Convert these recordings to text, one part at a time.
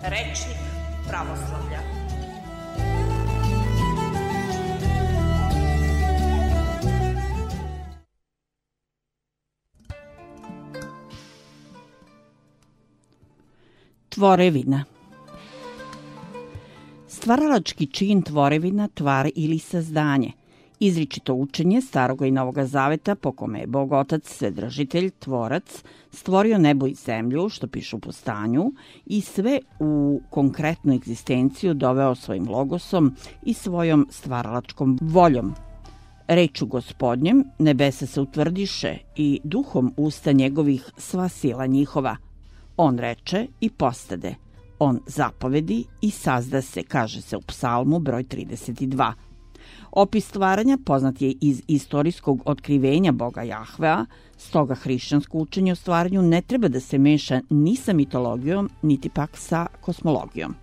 Rečnik pravoslavlja. Tvorevina. Stvaralački čin tvorevina, tvar ili sazdanje. Izričito učenje Staroga i Novoga Zaveta po kome je Bog Otac, Svedržitelj, Tvorac, stvorio nebo i zemlju, što piše u Postanju, i sve u konkretnu egzistenciju doveo svojim logosom i svojom stvaralačkom voljom. Reču Gospodnjem nebesa se utvrdiše i duhom usta njegovih sva sila njihova. On reče i postade. On zapovedi i sazda se, kaže se u Psalmu broj 32. Opis stvaranja poznat je iz istorijskog otkrivenja Boga Jahvea, stoga hrišćansko učenje o stvaranju ne treba da se meša ni sa mitologijom, niti pak sa kosmologijom.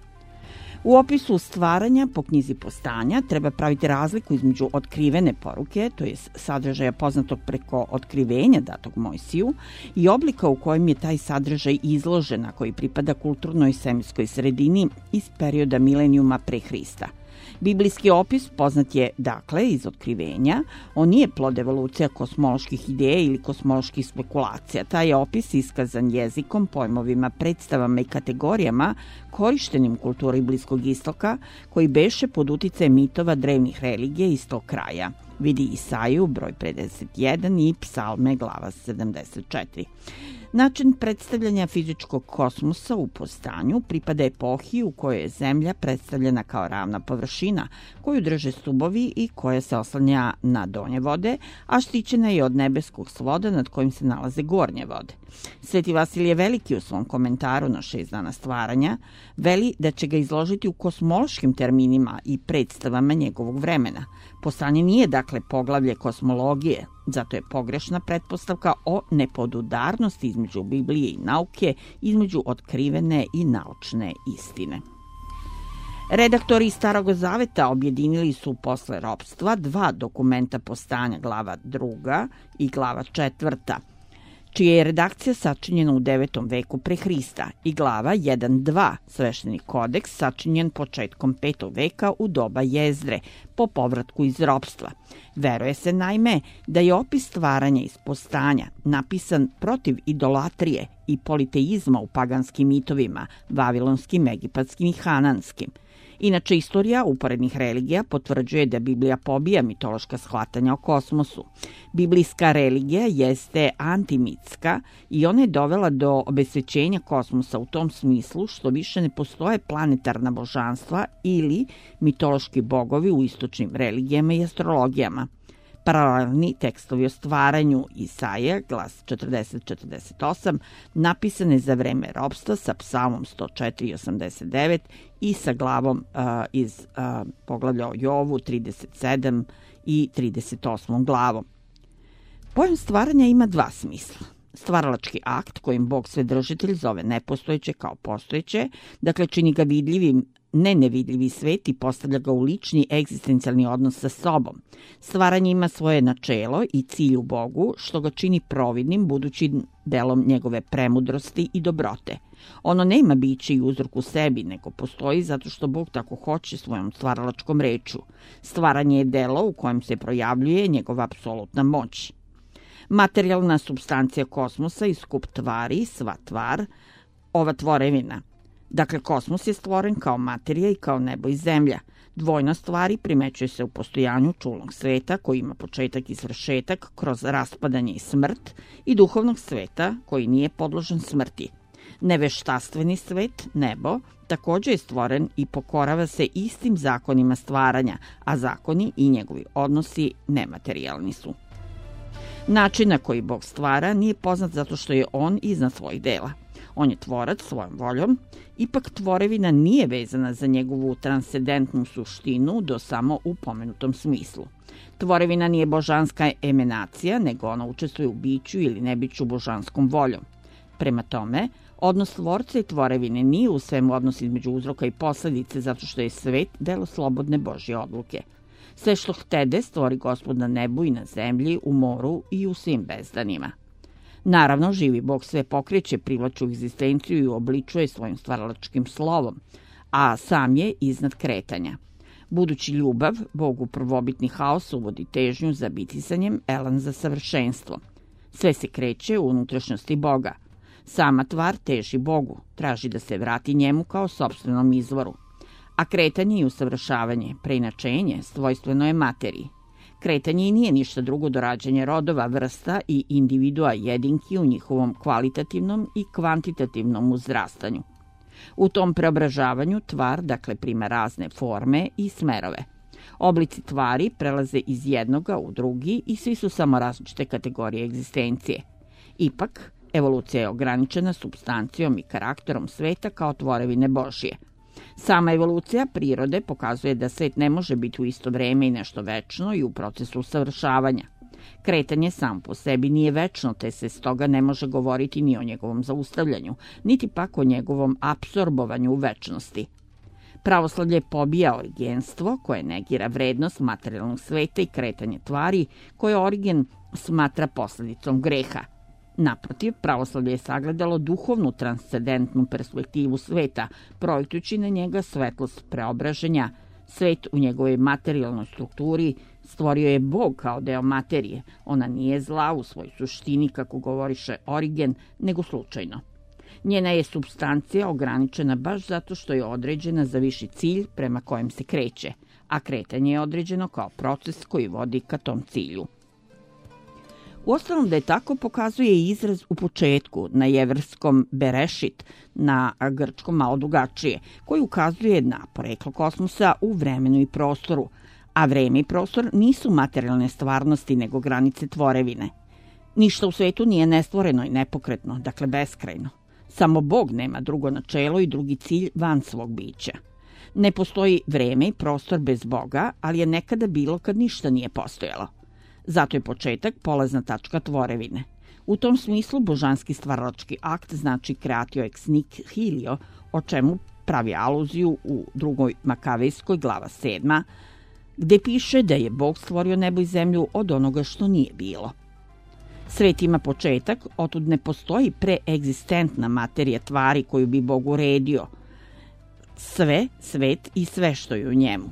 U opisu stvaranja po knjizi Postanja treba praviti razliku između otkrivene poruke, to je sadržaja poznatog preko otkrivenja datog Mojsiju, i oblika u kojem je taj sadržaj izložen, a koji pripada kulturnoj svemirskoj sredini iz perioda milenijuma pre Hrista. Biblijski opis poznat je, dakle, iz otkrivenja. On nije plod evolucija kosmoloških ideja ili kosmoloških spekulacija. Taj je opis iskazan jezikom, pojmovima, predstavama i kategorijama korištenim u kulturi Bliskog istoka, koji beše pod uticajem mitova drevnih religija iz tog kraja. Vidi Isaju, broj 51 i Psalme, glava 74. Način predstavljanja fizičkog kosmosa u Postanju pripada epohi u kojoj je Zemlja predstavljena kao ravna površina koju drže stubovi i koja se oslanja na donje vode, a štićena je od nebeskog svoda nad kojim se nalaze gornje vode. Sveti Vasilije Veliki u svom komentaru na 6 dana stvaranja veli da će ga izložiti u kosmološkim terminima i predstavama njegovog vremena. Postanje nije, dakle, poglavlje kosmologije, zato je pogrešna pretpostavka o nepodudarnosti između Biblije i nauke, između otkrivene i naučne istine. Redaktori Starog Zaveta objedinili su posle ropstva 2 dokumenta Postanja, glava 2. i glava 4., čija je redakcija sačinjena u 9. veku pre Hrista, i glava 1.2, svešteni kodeks, sačinjen početkom 5. veka u doba Jezdre, po povratku iz ropstva. Veruje se, naime, da je opis stvaranja iz Postanja napisan protiv idolatrije i politeizma u paganskim mitovima, vavilonskim, egipatskim i hananskim. Inače, istorija uporednih religija potvrđuje da Biblija pobija mitološka shvatanja o kosmosu. Biblijska religija jeste antimitska i ona je dovela do obesvećenja kosmosa u tom smislu što više ne postoje planetarna božanstva ili mitološki bogovi u istočnim religijama i astrologijama. Paralelni tekstovi o stvaranju Isaija, glas 40-48, napisane za vreme ropstva sa Psalmom 104 i 89 i sa glavom iz poglavlja o Jovu 37 i 38 glavom. Pojam stvaranja ima 2 smisla. Stvaralački akt kojim Bog Svedržitelj zove nepostojeće kao postojeće, dakle čini ga vidljivim, ne nevidljivi svet i postavlja ga u lični egzistencijalni odnos sa sobom. Stvaranje ima svoje načelo i cilj u Bogu, što ga čini providnim budućim delom njegove premudrosti i dobrote. Ono nema biće i uzrok u sebi, nego postoji zato što Bog tako hoće svojom stvaralačkom reču. Stvaranje je delo u kojem se projavljuje njegova apsolutna moć. Materijalna supstancija kosmosa i skup tvari, sva tvar, ova tvorevina. Dakle, kosmos je stvoren kao materija i kao nebo i zemlja. Dvojnost stvari primećuje se u postojanju čulnog sveta koji ima početak i svršetak kroz raspadanje i smrt i duhovnog sveta koji nije podložen smrti. Neveštastveni svet, nebo, takođe je stvoren i pokorava se istim zakonima stvaranja, a zakoni i njegovi odnosi nematerijalni su. Način na koji Bog stvara nije poznat zato što je on iznad svojih dela. On je tvorac svojom voljom, ipak tvorevina nije vezana za njegovu transcendentnu suštinu do samo u pomenutom smislu. Tvorevina nije božanska emenacija, nego ona učestvuje u biću ili nebiću božanskom voljom. Prema tome, odnos tvorca i tvorevine nije u svemu odnos između uzroka i posledice zato što je svet delo slobodne Božje odluke. Sve što htede stvori Gospod na nebu i na zemlji, u moru i u svim bezdanima. Naravno, živi Bog sve pokreće, privlači u egzistenciju i obličuje svojim stvaralačkim slovom, a sam je iznad kretanja. Budući ljubav, Bog u prvobitni haos uvodi težnju za bitisanjem, elan za savršenstvo. Sve se kreće u unutrašnjosti Boga. Sama tvar teži Bogu, traži da se vrati njemu kao sopstvenom izvoru. A kretanje i usavršavanje, preinačenje, svojstveno je materiji. Kretanje i nije ništa drugo do rađanja rodova, vrsta i individua jedinki u njihovom kvalitativnom i kvantitativnom uzrastanju. U tom preobražavanju tvar, dakle, prima razne forme i smerove. Oblici tvari prelaze iz jednoga u drugi i svi su samo različite kategorije egzistencije. Ipak, evolucija je ograničena supstancijom i karakterom sveta kao tvorevine Božije. Sama evolucija prirode pokazuje da svet ne može biti u isto vreme i nešto večno i u procesu usavršavanja. Kretanje sam po sebi nije večno, te se stoga ne može govoriti ni o njegovom zaustavljanju, niti pak o njegovom apsorbovanju u večnosti. Pravoslavlje pobija origenstvo koje negira vrednost materijalnog sveta i kretanje tvari koje Origen smatra posledicom greha. Naprotiv, pravoslavlje je sagledalo duhovnu transcendentnu perspektivu sveta, projektujući na njega svetlost preobraženja. Svet u njegovoj materijalnoj strukturi stvorio je Bog kao deo materije. Ona nije zla u svojoj suštini, kako govoriše Origen, nego slučajno. Njena je supstancija ograničena baš zato što je određena za viši cilj prema kojem se kreće, a kretanje je određeno kao proces koji vodi ka tom cilju. Uostalom, da je tako pokazuje i izraz u početku, na jevrskom berešit, na grčkom malo drugačije, koji ukazuje na poreklo kosmosa u vremenu i prostoru, a vreme i prostor nisu materijalne stvarnosti nego granice tvorevine. Ništa u svetu nije nestvoreno i nepokretno, dakle beskrajno. Samo Bog nema drugo načelo i drugi cilj van svog bića. Ne postoji vreme i prostor bez Boga, ali je nekada bilo kad ništa nije postojalo. Zato je početak polazna tačka tvorevine. U tom smislu božanski stvaralački akt znači creatio ex nihilo, o čemu pravi aluziju u 2. Makavejskoj glava 7, gde piše da je Bog stvorio nebo i zemlju od onoga što nije bilo. Svet ima početak, otud ne postoji preegzistentna materija tvari koju bi Bog uredio. Sve, svet i sve što je u njemu.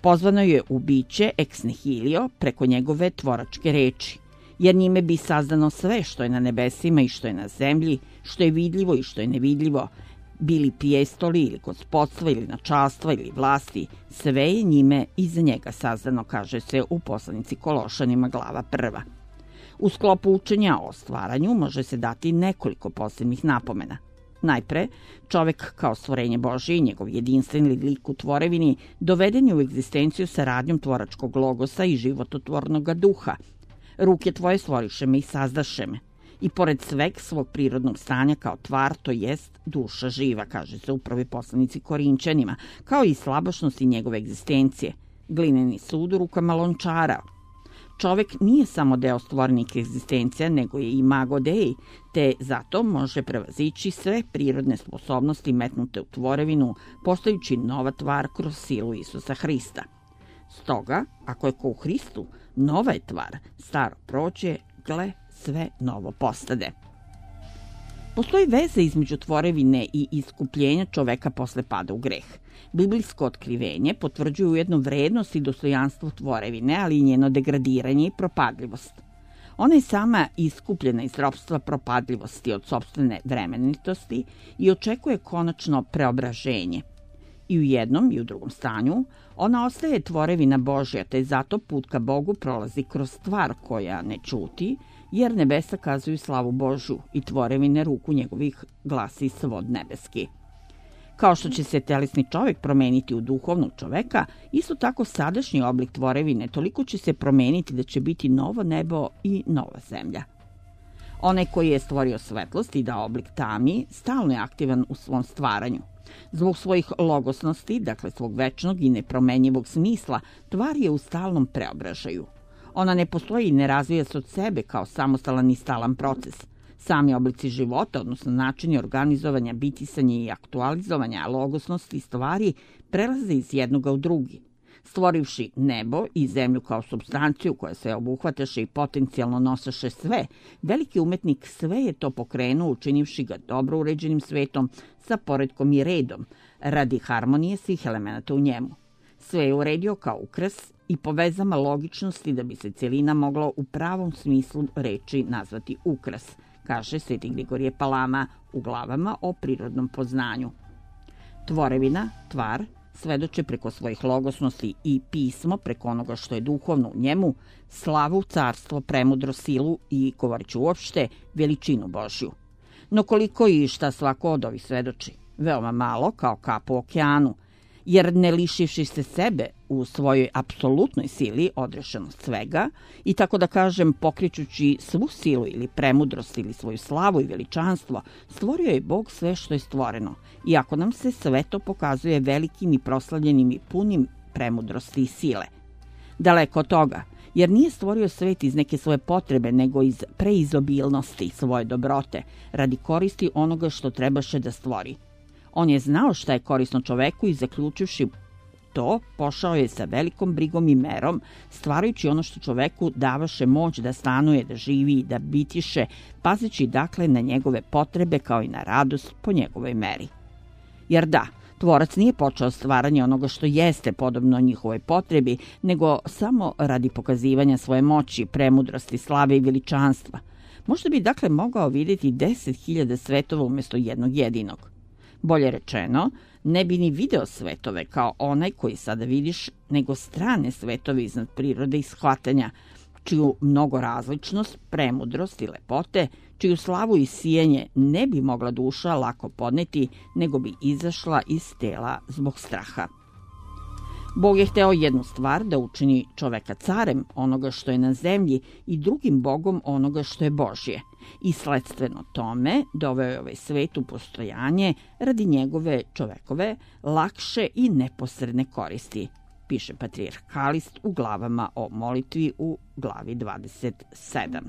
Pozvano je u biće ex nihilo preko njegove tvoračke reči, jer njime bi sazdano sve što je na nebesima i što je na zemlji, što je vidljivo i što je nevidljivo, bili prijestoli ili gospodstva ili načalstva ili vlasti, sve je njime iza njega sazdano, kaže se u poslanici Kološanima glava 1. U sklopu učenja o stvaranju može se dati nekoliko posebnih napomena. Najpre, čovek kao stvorenje Božije i njegov jedinstveni lik u tvorevini doveden je u egzistenciju saradnjom tvoračkog logosa i živototvornog duha. Ruke tvoje stvoriše me i sazdaše me. I pored sveg svog prirodnog stanja kao tvar, to jest duša živa, kaže se u prvoj poslanici Korinćanima, kao i slabašnosti njegove egzistencije. Glineni sud u rukama lončara. Čovek nije samo deo stvorenih egzistencija, nego je imago Dei, te zato može prevazići sve prirodne sposobnosti metnute u tvorevinu, postajući nova tvar kroz silu Isusa Hrista. Stoga, ako je ko u Hristu, nova je tvar, staro prođe, gle, sve novo postade. Postoji veza između tvorevine i iskupljenja čoveka posle pada u greh. Biblijsko otkrivenje potvrđuje ujedno vrednost i dostojanstvo tvorevine, ali i njeno degradiranje i propadljivost. Ona je sama iskupljena iz ropstva propadljivosti od sopstvene vremenitosti i očekuje konačno preobraženje. I u jednom i u drugom stanju ona ostaje tvorevina Božja, te zato put ka Bogu prolazi kroz stvar koja ne ćuti, jer nebesa kazuju slavu Božju i tvorevine ruku njegovih glasi svod nebeski. Kao što će se telesni čovek promeniti u duhovnog čoveka, isto tako sadašnji oblik tvorevine toliko će se promeniti da će biti novo nebo i nova zemlja. Onaj koji je stvorio svetlost i dao oblik tami, stalno je aktivan u svom stvaranju. Zbog svojih logosnosti, dakle svog večnog i nepromenjivog smisla, tvar je u stalnom preobražaju. Ona ne postoji i ne razvija se od sebe kao samostalan i stalan proces. Sami oblici života, odnosno načini organizovanja, bitisanja i aktualizovanja logosnosti stvari prelaze iz jednoga u drugi. Stvorivši nebo i zemlju kao supstanciju koja se obuhvataše i potencijalno nosaše sve, veliki umetnik sve je to pokrenuo učinivši ga dobro uređenim svetom sa poretkom i redom, radi harmonije svih elemenata u njemu. Sve je uredio kao ukras i po vezama logičnosti da bi se celina mogla u pravom smislu reči nazvati ukras, kaže Sveti Grigorije Palama u glavama o prirodnom poznanju. Tvorevina, tvar, svedoče preko svojih logosnosti i pismo preko onoga što je duhovno u njemu, slavu, carstvo, premudrost, silu i, govoreći uopšte, veličinu Božju. No koliko i šta svako od ovih svedoči? Veoma malo, kao kap u okeanu, jer ne lišivši se sebe u svojoj apsolutnoj sili odrešenost svega i tako da kažem pokrećući svu silu ili premudrost ili svoju slavu i veličanstvo, stvorio je Bog sve što je stvoreno, iako nam se sve to pokazuje velikim i proslavljenim i punim premudrosti i sile. Daleko od toga, jer nije stvorio svet iz neke svoje potrebe, nego iz preizobilnosti svoje dobrote, radi koristi onoga što trebaše da stvori. On je znao šta je korisno čoveku i zaključivši to, pošao je sa velikom brigom i merom, stvarajući ono što čoveku davaše moć da stanuje, da živi i da bitiše, pazeći dakle na njegove potrebe kao i na radost po njegovoj meri. Jer da, tvorac nije počeo stvaranje onoga što jeste podobno njihovoj potrebi, nego samo radi pokazivanja svoje moći, premudrosti, slave i veličanstva. Možda bi dakle mogao vidjeti 10.000 svetova umjesto jednog jedinog. Bolje rečeno, ne bi ni video svetove kao onaj koji sada vidiš, nego strane svetove iznad prirode i shvatanja, čiju mnogorazličnost, premudrost i lepote, čiju slavu i sijenje ne bi mogla duša lako podneti, nego bi izašla iz tela zbog straha. Bog je hteo jednu stvar, da učini čoveka carem onoga što je na zemlji i drugim bogom onoga što je Božje. I sledstveno tome doveo je ovaj svet u postojanje radi njegove čovekove lakše i neposredne koristi, piše patrijarh Kalist u glavama o molitvi u glavi 27.